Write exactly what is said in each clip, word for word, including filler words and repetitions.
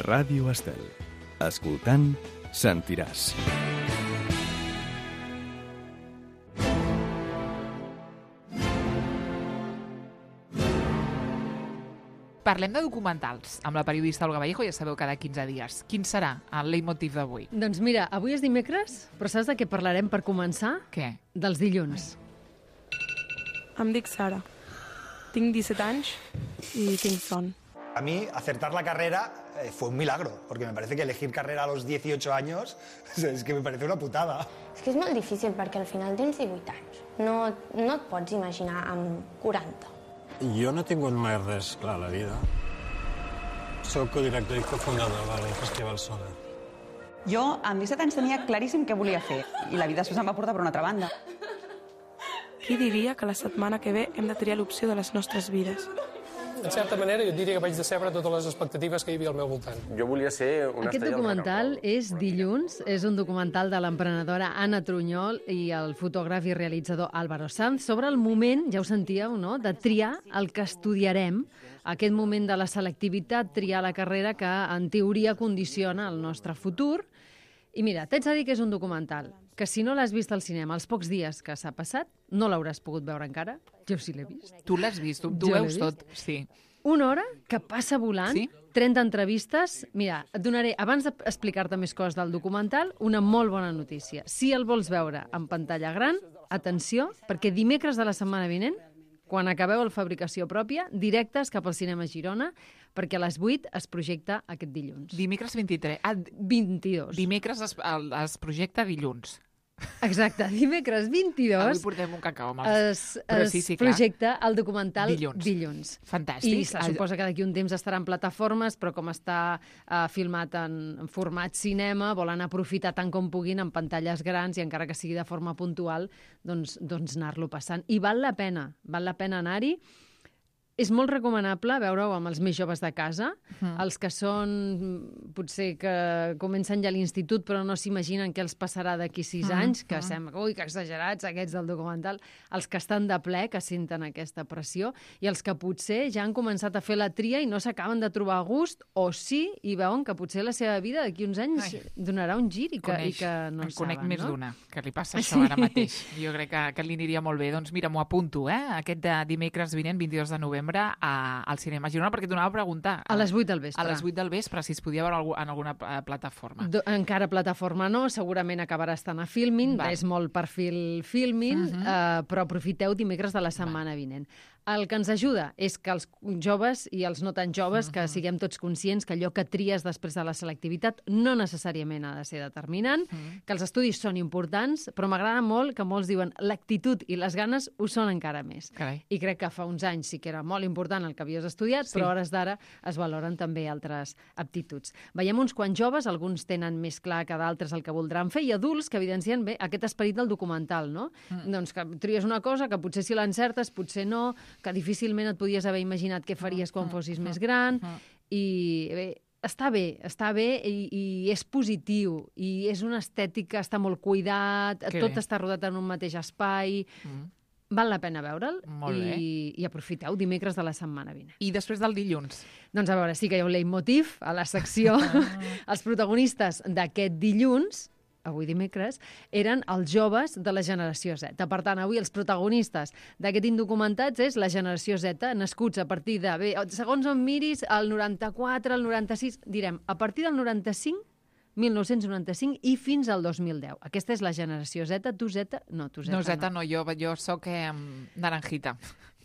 Ràdio Estel. Escoltant, sentiràs. Parlem de documentals amb la periodista Olga Vallejo, ja sabeu, cada quinze dies. Quin serà el leitmotiv d'avui? Doncs mira, avui és dimecres, però saps de què parlarem per començar? Què? Dels dilluns. Em dic Sara. Tinc disset anys y tinc son. A mí, acertar la carrera eh, fue un milagro, porque me parece que elegir carrera a los dieciocho años es que me parece una putada. És que és molt difícil perquè al final tens divuit anys. No, no et pots imaginar amb quaranta. Jo no he tingut mai res clar a la vida. Soc codirector i cofundador del Festival Soda. Jo, amb disset anys, tenia claríssim què volia fer, i la vida després em va portar per una altra banda. Qui diria que la setmana que ve hem de triar l'opció de les nostres vides? En certa manera, jo diria que vaig decebre totes les expectatives que hi havia al meu voltant. Jo volia ser una Aquest documental és Dilluns, és un documental de l'emprenedora Anna Trunyol i el fotògraf i realitzador Álvaro Sanz sobre el moment, ja ho sentíeu, no?, de triar el que estudiarem, aquest moment de la selectivitat, triar la carrera que en teoria condiciona el nostre futur. I mira, t'haig de dir que és un documental que si no l'has vist al cinema els pocs dies que s'ha passat, no l'hauràs pogut veure encara. Jo sí l'he vist. Tu l'has vist, tu, tu Jo l'he veus vist. tot. Sí. Una hora que passa volant, Sí? trenta entrevistes. Mira, et donaré, abans d'explicar-te més coses del documental, una molt bona notícia. Si el vols veure en pantalla gran, atenció, perquè dimecres de la setmana vinent, quan acabeu la fabricació pròpia, directes cap al cinema Girona, perquè a les vuit es projecta aquest dilluns. Dimecres vint-i-tres. Ah, vint-i-dos. dimecres es, el, es projecta dilluns. Exacte, dimecres Avui vint-i-dos portem un cacau amb els... es, Però es sí, sí, clar. projecta el documental Dilluns. dilluns. Fantàstic. I se suposa que d'aquí un temps estarà en plataformes, però com està uh, filmat en, en format cinema, volen aprofitar tant com puguin en pantalles grans i encara que sigui de forma puntual, doncs, doncs anar-lo passant. I val la pena, val la pena anar-hi. És molt recomanable veure-ho amb els més joves de casa, mm. els que són, potser que comencen ja a l'institut però no s'imaginen què els passarà d'aquí sis mm. anys, que mm. sembla, ui, que exagerats aquests del documental, els que estan de ple, que senten aquesta pressió, i els que potser ja han començat a fer la tria i no s'acaben de trobar a gust, o sí, i veuen que potser la seva vida d'aquí uns anys Ai. donarà un gir i que, Coneix, i que no en en conec saben, més no? d'una, que li passa això ara mateix. Jo crec que, que li aniria molt bé. Doncs mira, m'ho apunto, eh? Aquest de dimecres vinent, vint-i-dos de novembre, A, al cinema Girona, perquè t'anava a preguntar. A les vuit del vespre. A les vuit del vespre, si es podia veure algú, en alguna uh, plataforma. Do, encara plataforma no, segurament acabarà estant a Filmin, Val. és molt perfil Filmin, uh -huh. uh, però aprofiteu dimecres de la setmana Val. vinent. El que ens ajuda és que els joves i els no tan joves, uh -huh. que siguem tots conscients que allò que tries després de la selectivitat no necessàriament ha de ser determinant, uh -huh. que els estudis són importants, però m'agrada molt que molts diuen l'actitud i les ganes ho són encara més. Carai. I crec que fa uns anys sí que era molt important el que havies estudiat, Sí. però a hores d'ara es valoren també altres aptituds. Veiem uns quants joves, alguns tenen més clar que d'altres el que voldran fer, i adults que evidencien bé aquest esperit del documental, no? Mm. Doncs que tries una cosa que potser si l'encertes, potser no, que difícilment et podies haver imaginat què faries quan fossis més gran, i bé, està bé, està bé i, i és positiu, i és una estètica, està molt cuidat, Que tot bé. està rodat en un mateix espai, Mm. val la pena veure'l Molt i, i aprofiteu dimecres de la setmana vinent. I després del dilluns? Doncs a veure, sí que hi ha un leitmotiv a la secció. Els protagonistes d'aquest dilluns, avui dimecres, eren els joves de la generació Z. Per tant, avui els protagonistes d'aquest Indocumentats és la generació Z, nascuts a partir de, bé, segons on miris, el noranta-quatre, el noranta-sis, direm, a partir del noranta-cinc, mil nou-cents noranta-cinc i fins al dos mil deu. Aquesta és la generació Z. Tu Z? No, tu Z no. Z no, jo, jo soc eh, naranjita.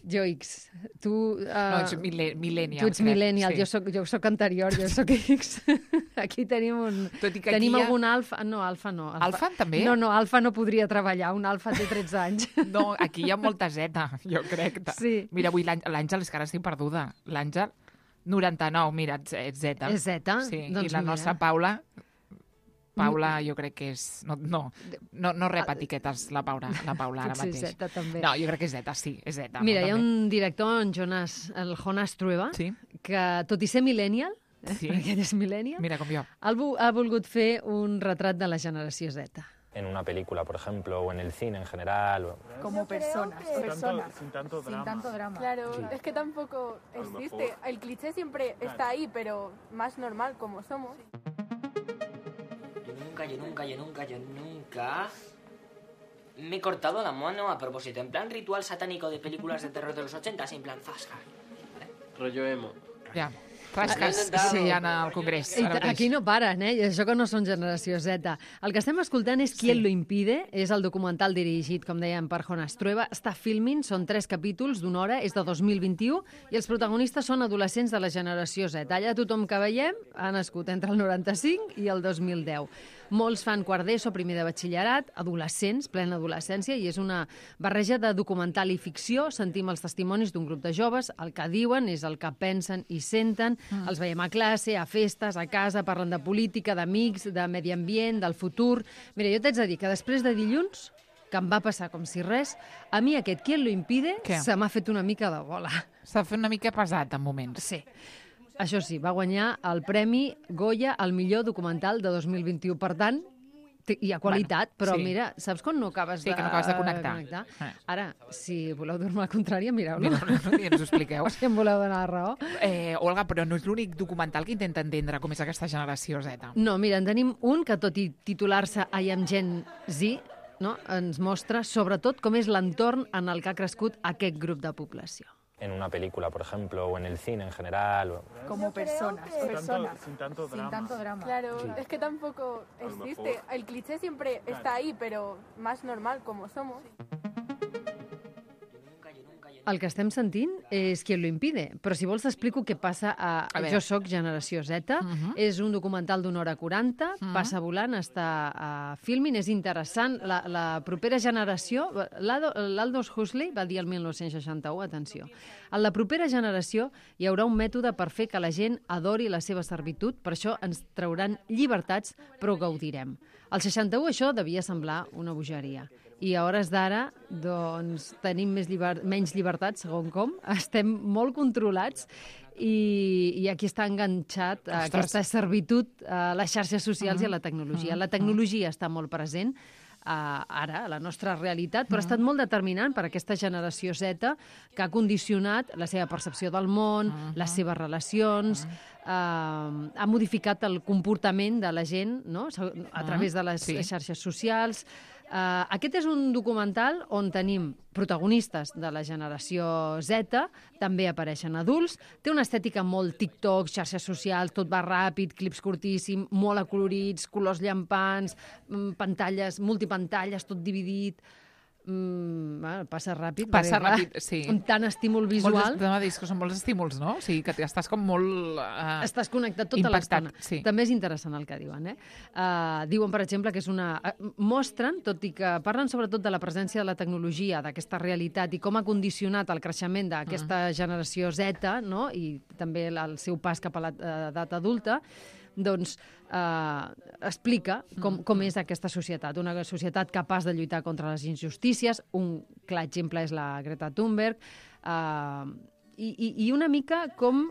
Jo X. Tu... Uh, no, ets mil millennial. Tu ets millennial, sí. jo, soc, jo soc anterior, jo soc X. Aquí tenim un... Tot i que tenim aquí algun alfa... No, alfa no. Alfa, alfa també? No, no, alfa no podria treballar. Un alfa té tretze anys. No, aquí hi ha molta Z, jo crec. Sí. Mira, avui l'Àngel, és que ara estic perduda. L'Àngel, noranta-nou, mira, ets Z. És Z? Sí, doncs i la mira. nostra Paula... Paula, jo crec que és... No, no, no, no rep etiquetes la Paula, la Paula ara Potser mateix. Z, també. No, jo crec que és Z, sí, és Z. Mira, no, hi ha també. un director, en Jonas, el Jonas Trueba, Sí. que tot i ser millennial, eh, Sí. perquè ell és millennial, Mira com jo. ha, ha volgut fer un retrat de la generació Z. en una película, por ejemplo, o en el cine en general. O... Como personas, Sin personas. tanto, sin tanto drama. Sin tanto drama. Claro, Sí. es que tampoco existe. El cliché siempre está ahí, pero más normal como somos. Yo nunca, yo nunca, yo nunca, yo nunca me he cortado la mano a propósito, en plan ritual satánico de películas de terror de los ochenta, en plan zasca. Rollo emo. Ja. Flasques sí, hi ha al Congrés. I aquí no paren, eh? I això que no són generació Z. El que estem escoltant és Qui sí. lo impide, és el documental dirigit, com dèiem, per Jonas Trueba. Està filming, són tres capítols d'una hora, és de dos mil vint-i-u, i els protagonistes són adolescents de la generació Z. Allà tothom que veiem ha nascut entre el noranta-cinc i el dos mil deu. Molts fan quart d'ESO, primer de batxillerat, adolescents, plena adolescència, i és una barreja de documental i ficció. Sentim els testimonis d'un grup de joves, el que diuen és el que pensen i senten, mm. els veiem a classe, a festes, a casa, parlen de política, d'amics, de medi ambient, del futur... Mira, jo t'haig de dir que després de dilluns, que em va passar com si res, a mi aquest Qui lo impide Què? se m'ha fet una mica de bola. S'ha fet una mica pesat en moments. Sí. Això sí, va guanyar el Premi Goya al millor documental de dos mil vint-i-u. Per tant, hi ha qualitat, bueno, però sí. mira, saps quan no acabes sí, de, que no acabes de connectar? connectar? Eh. Ara, si voleu dir-me la contrària, mireu-lo. Mireu-lo i ens ho expliqueu. Si em voleu donar la raó. Eh, Olga, però no és l'únic documental que intenta entendre com és aquesta generació Z. No, mira, en tenim un que, tot i titular-se I am Gen Z, no, ens mostra sobretot com és l'entorn en el que ha crescut aquest grup de població. En una película, por ejemplo, o en el cine en general. O... Como personas, Sin personas. tanto, sin tanto drama. Sin tanto drama. Claro, Sí. es que tampoco existe. El cliché siempre está ahí, pero más normal como somos. El que estem sentint és Qui lo impide, però si vols t'explico què passa a, a Jo soc generació Z. Uh -huh. És un documental d'una hora quaranta, uh -huh. passa volant, està a filming, és interessant. La, la propera generació, l'Aldous Huxley va dir el dinou seixanta-u, atenció, en la propera generació hi haurà un mètode per fer que la gent adori la seva servitud, per això ens trauran llibertats, però gaudirem. Al seixanta-u això devia semblar una bogeria. I a hores d'ara, doncs, tenim més lliber... menys llibertats, segons com. Estem molt controlats i, i aquí està enganxat a aquesta servitud a les xarxes socials uh -huh. i a la tecnologia. La tecnologia està molt present Uh, ara, a la nostra realitat, però ha estat molt determinant per aquesta generació Z que ha condicionat la seva percepció del món, uh -huh. les seves relacions, uh, ha modificat el comportament de la gent, no?, a través de les sí. xarxes socials. Uh, aquest és un documental on tenim protagonistes de la generació Z, també apareixen adults, té una estètica molt TikTok, xarxes socials, tot va ràpid, clips curtíssims, molt acolorits, colors llampants, pantalles, multipantalles, tot dividit. Mm, bueno, passa ràpid. Passa perquè, ràpid, sí. Amb tant estímul visual. Molts, que són molts estímuls, no? O sigui, que estàs com molt... Uh, estàs connectat tota l'estona. Sí. També és interessant el que diuen, eh? Uh, diuen, per exemple, que és una... Uh, mostren, tot i que parlen sobretot de la presència de la tecnologia, d'aquesta realitat i com ha condicionat el creixement d'aquesta uh. generació Z, no?, i també el seu pas cap a l'edat adulta, doncs eh, explica com, com és aquesta societat. Una societat capaç de lluitar contra les injustícies. Un clar exemple és la Greta Thunberg. Eh, i, I una mica com,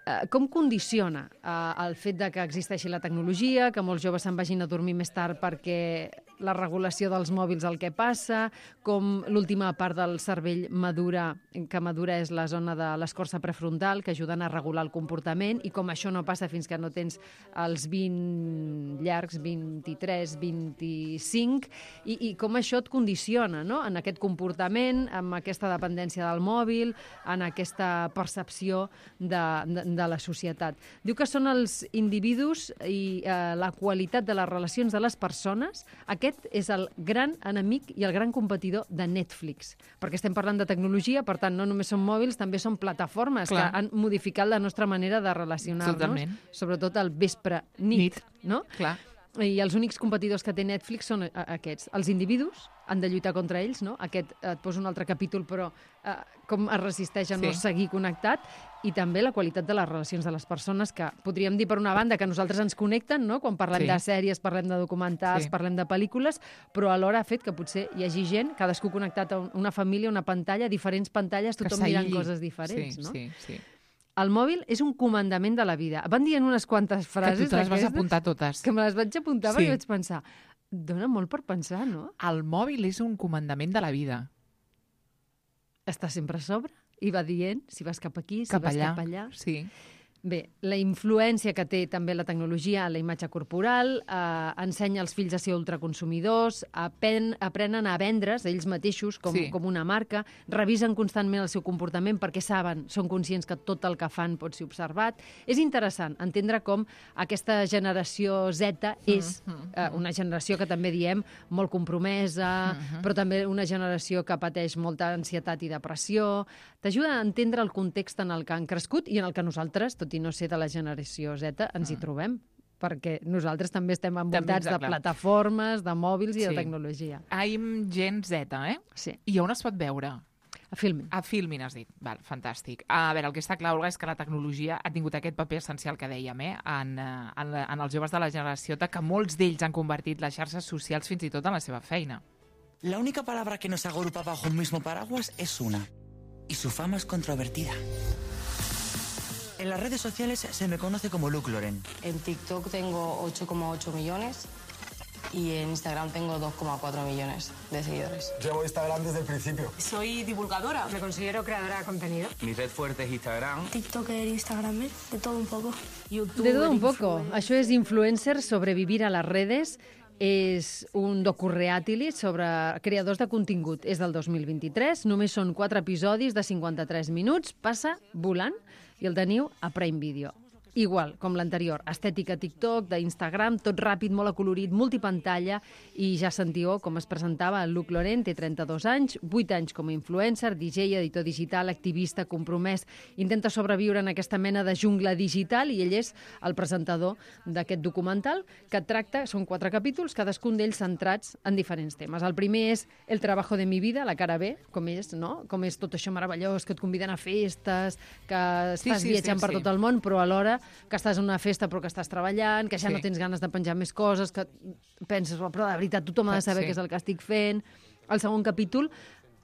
eh, com condiciona eh, el fet de que existeixi la tecnologia, que molts joves se'n vagin a dormir més tard perquè la regulació dels mòbils el que passa, com l'última part del cervell madura, que madura és la zona de l'escorça prefrontal, que ajuden a regular el comportament, i com això no passa fins que no tens els vint llargs, vint-i-tres, vint-i-cinc, i, i com això et condiciona, no?, en aquest comportament, amb aquesta dependència del mòbil, en aquesta percepció de, de, de la societat. Diu que són els individus i eh, la qualitat de les relacions de les persones. Aquest és el gran enemic i el gran competidor de Netflix, perquè estem parlant de tecnologia, per tant, no només són mòbils, també són plataformes Clar. que han modificat la nostra manera de relacionar-nos, Totalment. sobretot al vespre-nit, Nit. no? Clar. I els únics competidors que té Netflix són aquests. Els individus han de lluitar contra ells, no? Aquest et poso un altre capítol, però eh, com es resisteix a no sí. seguir connectat, i també la qualitat de les relacions de les persones, que podríem dir, per una banda, que nosaltres ens connecten, no?, quan parlem sí. de sèries, parlem de documentals, sí. parlem de pel·lícules, però alhora ha fet que potser hi hagi gent, cadascú connectat a una família, una pantalla, diferents pantalles, tothom mirant coses diferents, sí, no? Sí, sí. El mòbil és un comandament de la vida. Van dient unes quantes frases... Que tu te les vas apuntar totes. Que me les vaig apuntar sí. perquè vaig pensar... Dóna molt per pensar, no? El mòbil és un comandament de la vida. Està sempre a sobre i va dient si vas cap aquí, si Cap vas allà. cap allà. Sí. Bé, la influència que té també la tecnologia a la imatge corporal, eh, ensenya als fills a ser ultraconsumidors, apen, aprenen a vendre's ells mateixos com, Sí. com una marca, revisen constantment el seu comportament perquè saben, són conscients que tot el que fan pot ser observat. És interessant entendre com aquesta generació Z és eh, una generació que també diem molt compromesa, Mhm. però també una generació que pateix molta ansietat i depressió. T'ajuda a entendre el context en el que han crescut i en el que nosaltres, tot i no ser de la generació Z, ens hi trobem, perquè nosaltres també estem envoltats També, de clar. plataformes, de mòbils i Sí. de tecnologia. I'm Gen Z, eh? Sí. I on es pot veure? A Filmin. A Filmin, has dit. Val, fantàstic. A veure, el que està clar, Olga, és que la tecnologia ha tingut aquest paper essencial que dèiem, eh? En, eh, en, la- en els joves de la generació, que molts d'ells han convertit les xarxes socials fins i tot en la seva feina. La única palabra que nos agrupa bajo un mismo paraguas es una, y su fama es controvertida. En las redes sociales se me conoce como Luke Loren. En TikTok tengo ocho coma ocho millones y en Instagram tengo dos coma cuatro millones de seguidores. Llevo Instagram desde el principio. Soy divulgadora. Me considero creadora de contenido. Mi red fuerte es Instagram. TikToker, Instagramer, de todo un poco. De todo un poco. Això és Influencer, sobrevivir a les redes. És un docu-reatili sobre creadors de contingut. És del dos mil vint-i-tres, només són quatre episodis de cinquanta-tres minuts, passa volant i el teniu a Prime Video. Igual, com l'anterior, estètica TikTok, d'Instagram, tot ràpid, molt acolorit, multipantalla, i ja sentiu com es presentava el Luke Loren, té trenta-dos anys, vuit anys com a influencer, D J, editor digital, activista, compromès, intenta sobreviure en aquesta mena de jungla digital i ell és el presentador d'aquest documental que tracta, són quatre capítols, cadascun d'ells centrats en diferents temes. El primer és el trabajo de mi vida, la cara B, com és, no? Com és tot això meravellós, que et conviden a festes, que Sí, estàs sí, viatjant sí, per sí. tot el món, però alhora que estàs en una festa però que estàs treballant, que ja Sí. no tens ganes de penjar més coses, que penses, "Oh, però de veritat tothom ha de saber Sí. què és el que estic fent." El segon capítol,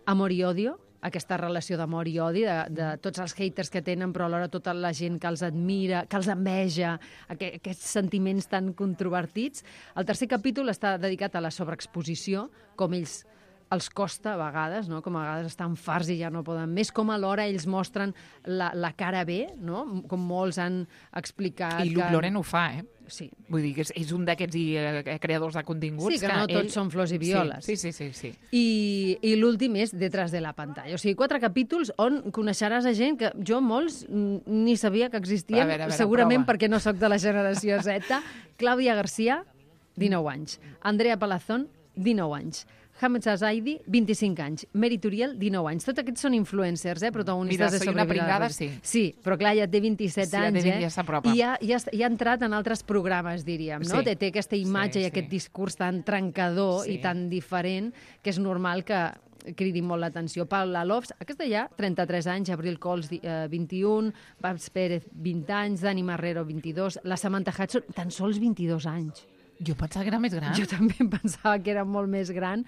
amor i odio, aquesta relació d'amor i odi, de, de tots els haters que tenen, però alhora tota la gent que els admira, que els enveja, aqu aquests sentiments tan controvertits. El tercer capítol està dedicat a la sobreexposició, com ells els costa a vegades, no? Com a vegades estan farts i ja no poden més, com alhora ells mostren la, la cara B, no? Com molts han explicat... I Luke que... Loren ho fa, eh? Sí. Vull dir que és, és un d'aquests eh, creadors de continguts... Sí, que no tots són flors i violes. Sí, sí, sí. sí, sí. I, i l'últim és Detrás de la pantalla. O sigui, quatre capítols on coneixeràs a gent que jo molts mm, ni sabia que existien, A veure, a veure, segurament prova. perquè no sóc de la generació Z. Clàudia Garcia, dinou anys. Andrea Palazón, dinou anys. Hamed Zaidi, vint-i-cinc anys. Mary Turiel, dinou anys. Tots aquests són influencers, eh? Protagonistes Mira, de soy una Sobrevivir a pringada, les sí. redes. Sí, però clar, ja té vint-i-set Sí, ja anys, té, eh? ja s'apropa. I ja, ja, ja ha entrat en altres programes, diríem, no? Sí. Té, té aquesta imatge Sí, i aquest discurs tan trencador Sí. i tan diferent que és normal que cridi molt l'atenció. Paula Lofs, aquesta ja, trenta-tres anys, Abril Cols, eh, vint-i-un, Babs Pérez, vint anys, Dani Marrero, vint-i-dos, la Samantha Hudson, tan sols vint-i-dos anys. Jo pensava que era més gran. Jo també em pensava que era molt més gran.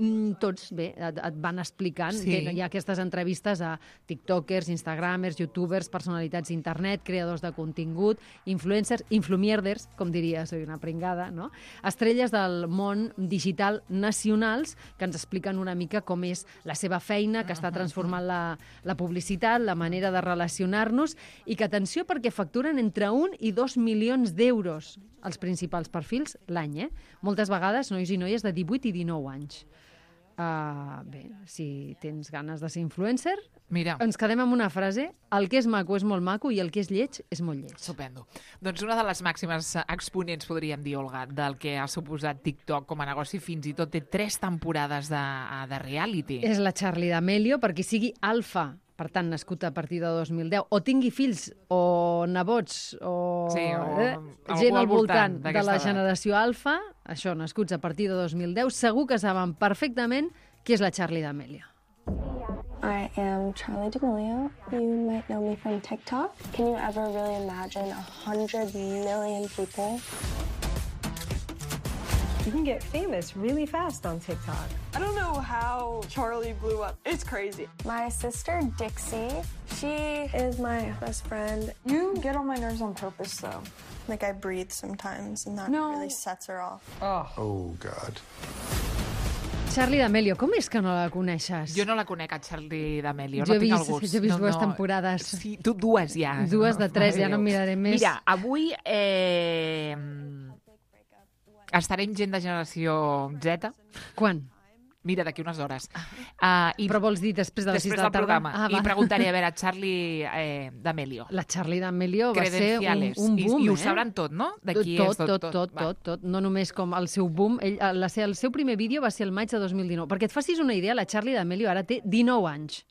Mm, tots, bé, et, et van explicant Sí. que hi ha aquestes entrevistes a tiktokers, instagramers, youtubers, personalitats d'internet, creadors de contingut, influencers, influmierders, com diria, soy una pringada, no? Estrelles del món digital nacionals que ens expliquen una mica com és la seva feina, que està transformant la, la publicitat, la manera de relacionar-nos i que, atenció, perquè facturen entre un i dos milions d'euros els principals perfils l'any, eh? Moltes vegades nois i noies de divuit i dinou anys. Uh, bé, si tens ganes de ser influencer, Mira. ens quedem amb una frase: el que és maco és molt maco i el que és lleig és molt lleig. Estupendo. Doncs una de les màximes exponents, podríem dir, Olga, del que ha suposat TikTok com a negoci, fins i tot té tres temporades de, de reality. És la Charli D'Amelio, per qui sigui alfa, per tant, nascut a partir de dos mil deu, o tingui fills o nebots o, Sí, o eh, algú gent al al voltant voltant de d'aquesta la edat. generació alfa, això, nascuts a partir de dos mil deu, segur que saben perfectament qui és la Charli D'Amelio. I am Charli D'Amelio. You might know me from TikTok. Can you ever really imagine a hundred million people You can get famous really fast on TikTok. I don't know how Charlie blew up. It's crazy. My sister, Dixie, she is my best friend. You get on my nerves on purpose, though. Like, I breathe sometimes, and that No. really sets her off. Oh. Oh, God. Charlie D'Amelio, com és que no la coneixes? Jo no la conec, a Charlie D'Amelio, Jo no he tinc vist, el gust. jo he vist no, dues no. temporades. Sí, tu dues ja. Dues de tres, Mare ja no Déu. en miraré més. Mira, avui eh, estarem gent de generació Z. Quan? Mira, d'aquí unes hores. Uh, i Però vols dir després de les sis després de la del tarda? programa. Ah, I va. preguntaré, a veure, Charlie eh, D'Amelio. La Charlie D'Amelio va ser un, Credenciales. un boom, I, I ho eh? sabran tot, no? De qui tot, és tot, tot, tot, Va. tot, tot. No només com el seu boom. Ell, la, el seu primer vídeo va ser el maig de dos mil dinou. Perquè et facis una idea, la Charlie D'Amelio ara té dinou anys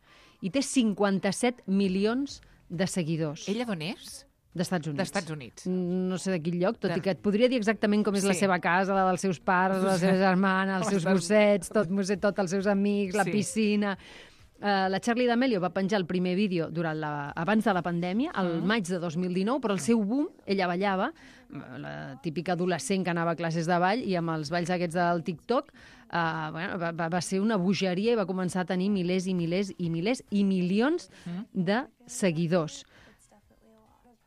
i té cinquanta-set milions de seguidors. Ella d'on és? D'Estats Units. D'Estats Units. No sé de quin lloc, tot De- i que et podria dir exactament com és la Sí. seva casa, la dels seus pares, la seva germana, els seus Ostres. gossets, tot, tot els seus amics, la Sí. piscina... Uh, la Charlie D'Amelio va penjar el primer vídeo durant la, abans de la pandèmia, el Mm. maig de dos mil dinou, però el seu boom, ella ballava, la típica adolescent que anava a classes de ball, i amb els balls aquests del TikTok uh, bueno, va, va, va ser una bogeria i va començar a tenir milers i milers i milers i milions Mm. de seguidors.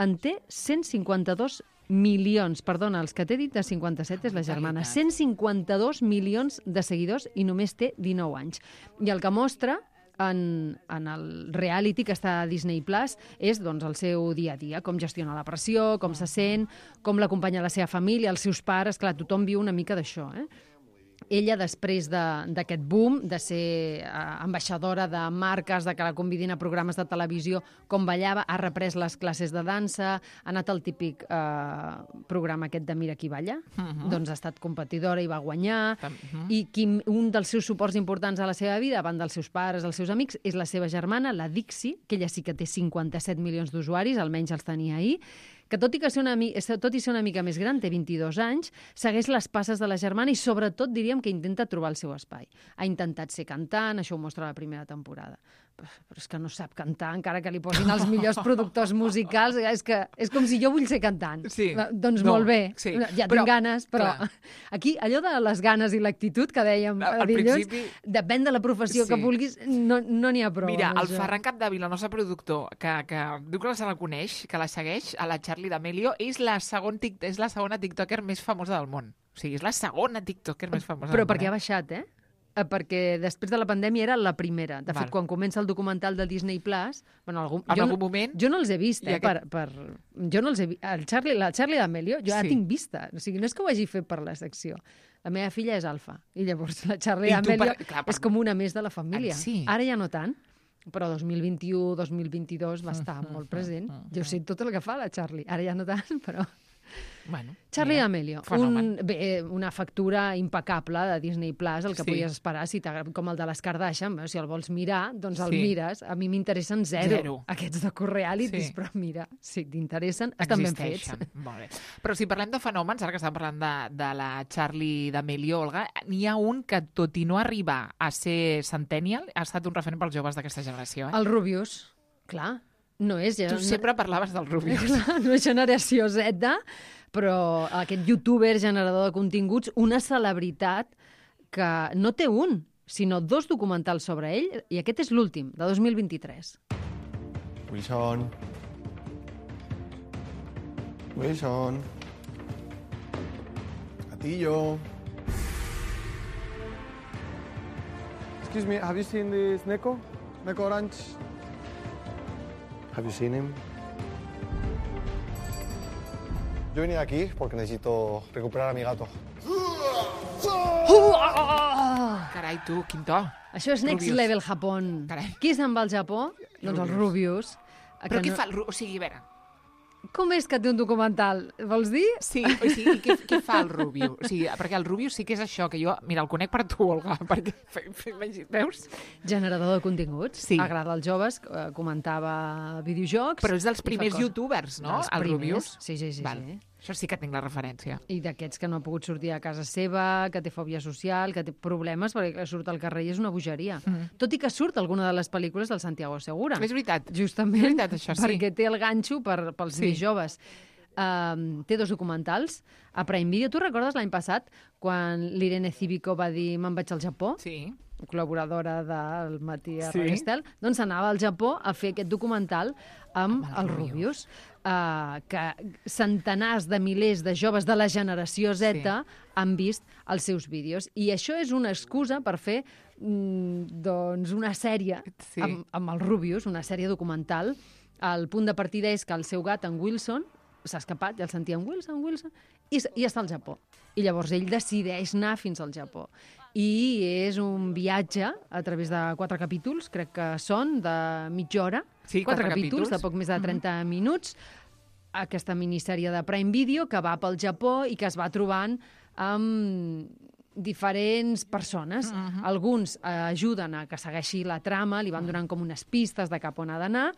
En té cent cinquanta-dos milions, perdona, els que t'he dit de cinquanta-set és la germana, cent cinquanta-dos milions de seguidors i només té dinou anys. I el que mostra en, en el reality que està a Disney Plus és doncs, el seu dia a dia, com gestiona la pressió, com se sent, com l'acompanya la seva família, els seus pares, clar, tothom viu una mica d'això, eh? Ella, després de- d'aquest boom, de ser eh, ambaixadora de marques, de que la convidin a programes de televisió, com ballava, ha reprès les classes de dansa, ha anat al típic eh, programa aquest de Mira qui balla, Mhm. doncs ha estat competidora i va guanyar, Mhm. i qui, un dels seus suports importants a la seva vida, a banda dels seus pares, dels seus amics, és la seva germana, la Dixie, que ella sí que té cinquanta-set milions d'usuaris, almenys els tenia ahir, que tot i, que ser una, mi- tot i ser una mica més gran, té vint-i-dos anys, segueix les passes de la germana i sobretot diríem que intenta trobar el seu espai. Ha intentat ser cantant, això ho mostra la primera temporada. Però, però és que no sap cantar, encara que li posin els millors productors musicals. És que és com si jo vull ser cantant. Sí. Doncs No, molt bé, sí. ja Però, tinc ganes, però clar. aquí allò de les ganes i l'actitud que dèiem Al a dilluns, principi- depèn de la professió Sí. que vulguis, no no n'hi ha prou. Mira, amb el això. Ferran Capdevila, el nostre productor, que, que diu que se la coneix, que la segueix, a la Charlie D'Amelio, és la, segon tic, és la segona tiktoker més famosa del món. O sigui, és la segona tiktoker més famosa Però del món. perquè ha baixat, eh? Eh, Perquè després de la pandèmia era la primera. De fet, Val. quan comença el documental del Disney Plus, bueno, algun, En jo, algun no- moment- jo no els he vist, I eh? aquest- Per, per, jo no els he vist. El Charlie, la Charlie D'Amelio, jo ja Sí. la tinc vista. O sigui, no és que ho hagi fet per la secció. La meva filla és alfa, i llavors la Charlie I tu D'Amelio per- clar, per- és com una més de la família. Ah, sí? Ara ja no tant, però dos mil vint-i-u, dos mil vint-i-dos va estar molt present. Jo sé tot el que fa la Charlie. Ara ja no tant, però... Bueno, Charlie mira, D'Amelio, fenomen. un, bé, una factura impecable de Disney Plus, el que Sí. podies esperar, si t'agrada, com el de les Kardashian, bé, si el vols mirar, doncs el Sí. mires. A mi m'interessen zero, Zero. aquests docu-realities, Sí. però mira, si t'interessen, estan ben fets. Existeixen. Molt bé. Però si parlem de fenòmens, ara que estàvem parlant de, de la Charlie D'Amelio, Olga, n'hi ha un que, tot i no arribar a ser centennial, ha estat un referent pels joves d'aquesta generació. Eh? El Rubius, clar, no és... Tu sempre parlaves del Rubius. Clar, no és generació Z, però aquest youtuber, generador de continguts, una celebritat que no té un, sinó dos documentals sobre ell, i aquest és l'últim, de dos mil vint-i-tres. Wilson. Wilson. Gatillo. Excuse me, have you seen this Neko? Neko Orange? Have you seen him? Yo he venido aquí porque necesito recuperar a mi gato. Carai, tu, quin to. Això és Next Rubius. Level Japón. Qui se'n va al Japó? Doncs el Rubius. Però Que què no- fa el Rubius? O sigui, a veure, Com és que té un documental? Vols dir? sí, o sigui, què, què fa el Rubius? O sigui, perquè el Rubius sí que és això, que jo, mira, el conec per tu, Olga, perquè, veus? Generador de continguts. Sí. Agrada als joves, eh, comentava videojocs. Però és dels i fa primers coses. youtubers, no? Dels El primers. Rubius. Sí, sí, sí. Val. sí. Això sí que tinc la referència. I d'aquests que no ha pogut sortir a casa seva, que té fòbia social, que té problemes, perquè clar, surt al carrer i és una bogeria. Mm. Tot i que surt alguna de les pel·lícules del Santiago Segura. És veritat. Justament És veritat, això, sí. perquè té el ganxo per, pels Sí. més joves. Uh, té dos documentals a Prime Video. Tu recordes l'any passat quan l'Irene Cívico va dir me'n vaig al Japó? Sí. Col·laboradora del Matí a Sí. Radio Estel, doncs anava al Japó a fer aquest documental amb, amb el Rubius, uh, que centenars de milers de joves de la generació Z sí. han vist els seus vídeos. I això és una excusa per fer mm, doncs una sèrie sí. amb, amb el Rubius, una sèrie documental. El punt de partida és que el seu gat, en Wilson, s'ha escapat, ja el sentíem, Wilson, Wilson, i, i està al Japó. I llavors ell decideix anar fins al Japó. I és un viatge a través de quatre capítols, crec que són, de mitja hora. Sí, quatre, quatre capítols, capítols, de poc més de trenta mm-hmm. minuts. Aquesta minissèrie de Prime Video que va pel Japó i que es va trobant amb diferents persones. Mm-hmm. Alguns eh, ajuden a que segueixi la trama, li van donant com unes pistes de cap on ha d'anar,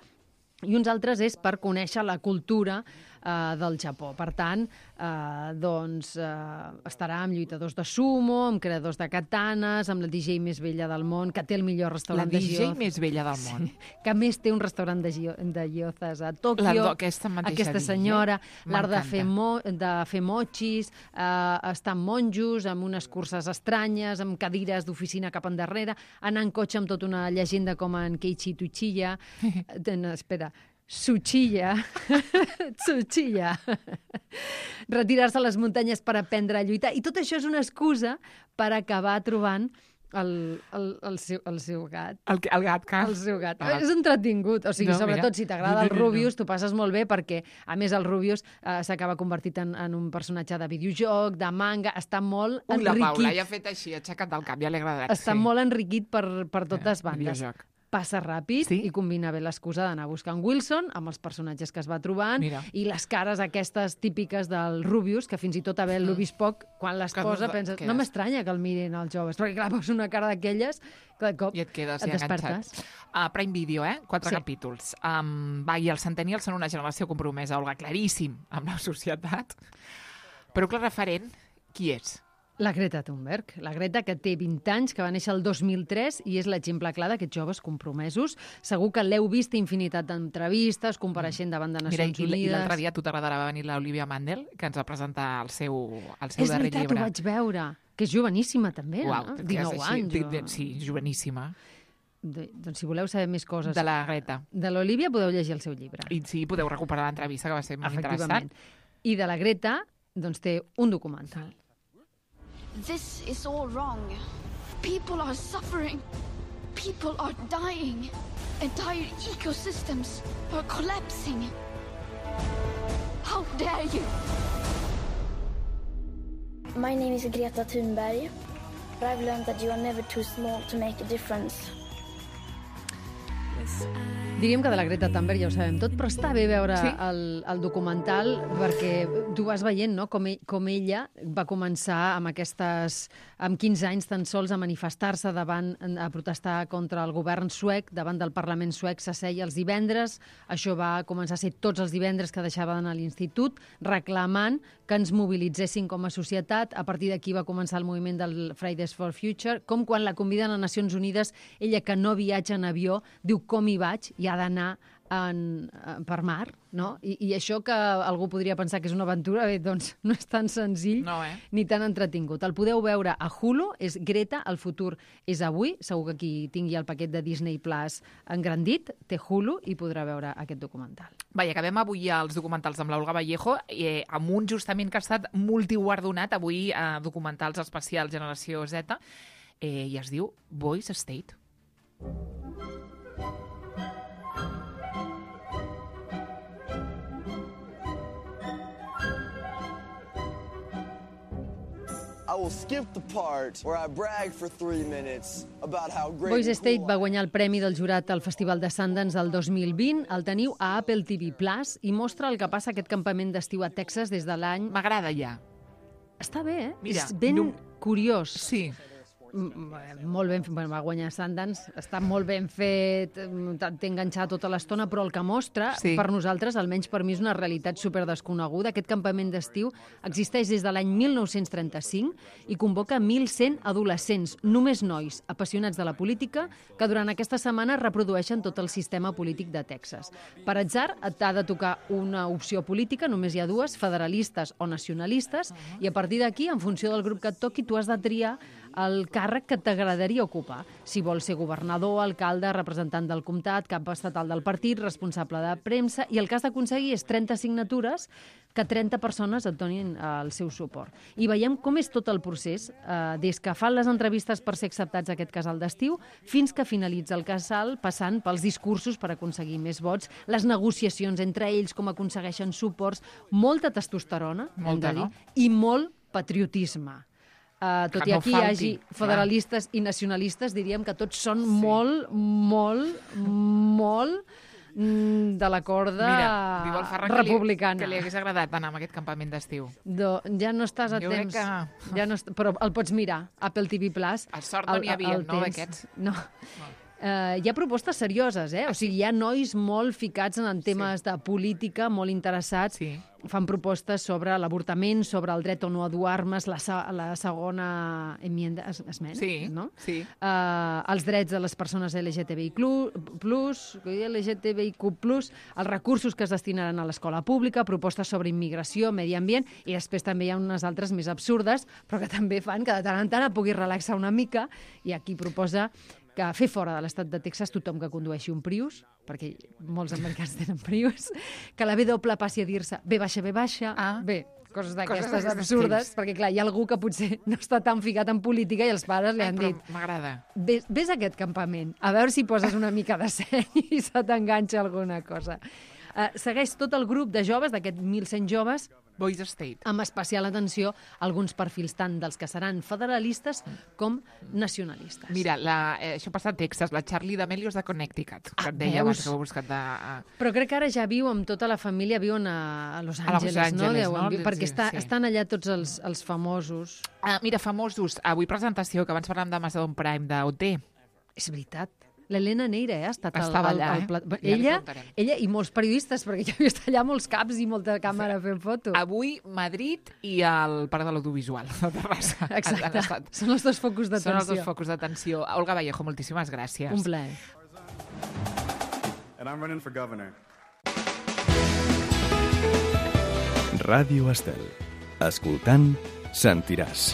i uns altres és per conèixer la cultura eh, del Japó. Per tant, eh, doncs, eh, estarà amb lluitadors de sumo, amb creadors de katanes, amb la D J més vella del món, que té el millor restaurant de gyozas. La D J més vella del món. Sí, que més té un restaurant de, de gyozas a Tòquio. La, aquesta mateixa aquesta senyora, l'art de fer, mo, de fer mochis, eh, estar amb monjos, amb unes curses estranyes, amb cadires d'oficina cap endarrere, anar en cotxe amb tota una llegenda com en Keiichi Tsuchiya. No, espera, Tsuchiya. Tsuchiya. Retirar-se a les muntanyes per aprendre a lluitar. I tot això és una excusa per acabar trobant el, el, el, seu, el seu gat. El, el gat, que... El seu gat. Ah. És entretingut. O sigui, no, sobretot, mira. si t'agrada el Rubius, t'ho passes molt bé perquè, a més, el Rubius eh, s'acaba convertit en, en un personatge de videojoc, de manga, està molt Ui, enriquit. La Paula ja ha fet així, ha aixecat el cap, ja l'he agradat. Està sí. molt enriquit per, per totes eh, bandes. Videojoc. Passa ràpid sí? i combina bé l'excusa d'anar buscant Wilson amb els personatges que es va trobant. Mira. I les cares aquestes típiques del Rubius, que fins i tot havent-lo vist poc, quan les que posa penses, no m'estranya que el mirin els joves, perquè clar, posa una cara d'aquelles que de cop i et quedes et ja despertes. Uh, Prime Video, eh? Quatre sí. capítols. Um, va, i els Centennials són una generació compromesa, Olga, claríssim, amb la societat. Però clar, referent, qui és? La Greta Thunberg. La Greta, que té vint anys, que va néixer el dos mil tres i és l'exemple clar d'aquests joves compromesos. Segur que l'heu vist infinitat d'entrevistes, compareixent davant de Nacions Mira, Unides. I l'altre dia, a tu t'agradarà, va venir l'Olivia Mandel, que ens va presentar el seu, el seu és darrer veritat, llibre. Ho vaig veure. Que és joveníssima, també, Uau, no? dinou anys. O... Sí, joveníssima. De, doncs si voleu saber més coses... De la Greta. De l'Olivia podeu llegir el seu llibre. I sí, podeu recuperar l'entrevista, que va ser molt interessant. I de la Greta, doncs té un documental. This is all wrong. People are suffering. People are dying. Entire ecosystems are collapsing. How dare you? My name is Greta Thunberg. I've learned that you are never too small to make a difference. Diríem que de la Greta Thunberg ja ho sabem tot, però està bé veure sí? el, el documental perquè tu vas veient no? com, ell, com ella va començar amb aquestes, amb quinze anys tan sols a manifestar-se davant, a protestar contra el govern suec, davant del Parlament suec, s'asseia els divendres, això va començar a ser tots els divendres que deixava d'anar a l'institut, reclamant que ens mobilitzessin com a societat. A partir d'aquí va començar el moviment del Fridays for Future, com quan la conviden a Nacions Unides, ella que no viatja en avió, diu com hi vaig i ha d'anar en, per mar, no? I, I això que algú podria pensar que és una aventura, bé, doncs no és tan senzill no, eh? ni tan entretingut. El podeu veure a Hulu, és Greta, el futur és avui, segur que qui tingui el paquet de Disney Plus engrandit, té Hulu i podrà veure aquest documental. Va, i acabem avui els documentals amb l'Olga Vallejo, eh, amb un justament que ha estat multiguardonat avui a eh, documentals especials Generació Z, eh, i es diu Boys State. I will skip the part where I brag for three minutes about how great Boys and State cool va guanyar el premi del jurat al Festival de Sundance del dos mil vint. El teniu a Apple T V Plus i mostra el que passa a aquest campament d'estiu a Texas des de l'any... M'agrada ja. Està bé, eh? Mira, és ben no... curiós. Sí. molt ben fet, bueno, va guanyar Sundance, està molt ben fet, t'he enganxat tota l'estona, però el que mostra, sí. per nosaltres, almenys per mi, és una realitat superdesconeguda. Aquest campament d'estiu existeix des de l'any mil nou-cents trenta-cinc i convoca mil cent adolescents, només nois, apassionats de la política, que durant aquesta setmana reprodueixen tot el sistema polític de Texas. Per atzar, t'ha de tocar una opció política, només hi ha dues, federalistes o nacionalistes, uh-huh. i a partir d'aquí, en funció del grup que et toqui, tu has de triar el càrrec que t'agradaria ocupar. Si vols ser governador, alcalde, representant del comtat, cap estatal del partit, responsable de premsa, i el que has d'aconseguir és trenta signatures que trenta persones et donin el seu suport. I veiem com és tot el procés, eh, des que fan les entrevistes per ser acceptats a aquest casal d'estiu, fins que finalitza el casal, passant pels discursos per aconseguir més vots, les negociacions entre ells, com aconsegueixen suports, molta testosterona, molta, hem de dir, no? i molt patriotisme. Uh, tot que i no aquí falti, hi hagi federalistes clar. I nacionalistes, diríem que tots són sí. molt, molt, molt mm, de la corda Mira, republicana. Que li, que li hagués agradat anar a aquest campament d'estiu. Do, ja no estàs a jo temps. Que... Ja no est... Però el pots mirar, Apple T V Plus. A sort no n'hi havia, no, d'aquests? No. no. Uh, hi ha propostes serioses, eh? O sigui, hi ha nois molt ficats en temes sí. de política, molt interessats. Sí. Fan propostes sobre l'avortament, sobre el dret o no a dur armes, la, la segona enmienda, es, esmena, sí, no? Sí. Uh, els drets de les persones L G T B I plus, L G T B I Q plus, els recursos que es destinaran a l'escola pública, propostes sobre immigració, medi ambient, i després també hi ha unes altres més absurdes, però que també fan que de tant en tant et puguis relaxar una mica, i aquí proposa que fer fora de l'estat de Texas tothom que condueixi un Prius, perquè molts americans tenen Prius, que la B doble passi a dir-se B baixa, B baixa, ah. bé, coses d'aquestes absurdes, perquè clar, hi ha algú que potser no està tan ficat en política i els pares li han Ai, dit m'agrada. Ves, ves a aquest campament, a veure si poses una mica de seny i se t'enganxa alguna cosa. Uh, segueix tot el grup de joves, d'aquests mil cent joves, Boys State. Amb especial atenció a alguns perfils tant dels que seran federalistes com nacionalistes. Mira, la, eh, això passa a Texas, la Charlie D'Amelio és de Connecticut, que ah, et deia abans veus? que ho he buscat de... Uh... Però crec que ara ja viu amb tota la família, viuen a, a Los Angeles, a Los Angeles, no? no? Viu, perquè està, sí. estan allà tots els, els famosos. Ah, mira, famosos. Avui presentació, que abans parlàvem d'Amazon Prime, d'O T. És veritat. L'Helena Neira, eh? Ha estat Estava el, allà, el, el plat... eh? ella, ella i molts periodistes, perquè jo he vist allà molts caps i molta càmera fent fotos. Avui, Madrid i el Parc de l'Audiovisual de Terrassa. Exacte. Són els dos focus d'atenció. Són els dos focus d'atenció. Olga Vallejo, moltíssimes gràcies. Un plaer. And I'm running for governor. Ràdio Estel. Escoltant, sentiràs.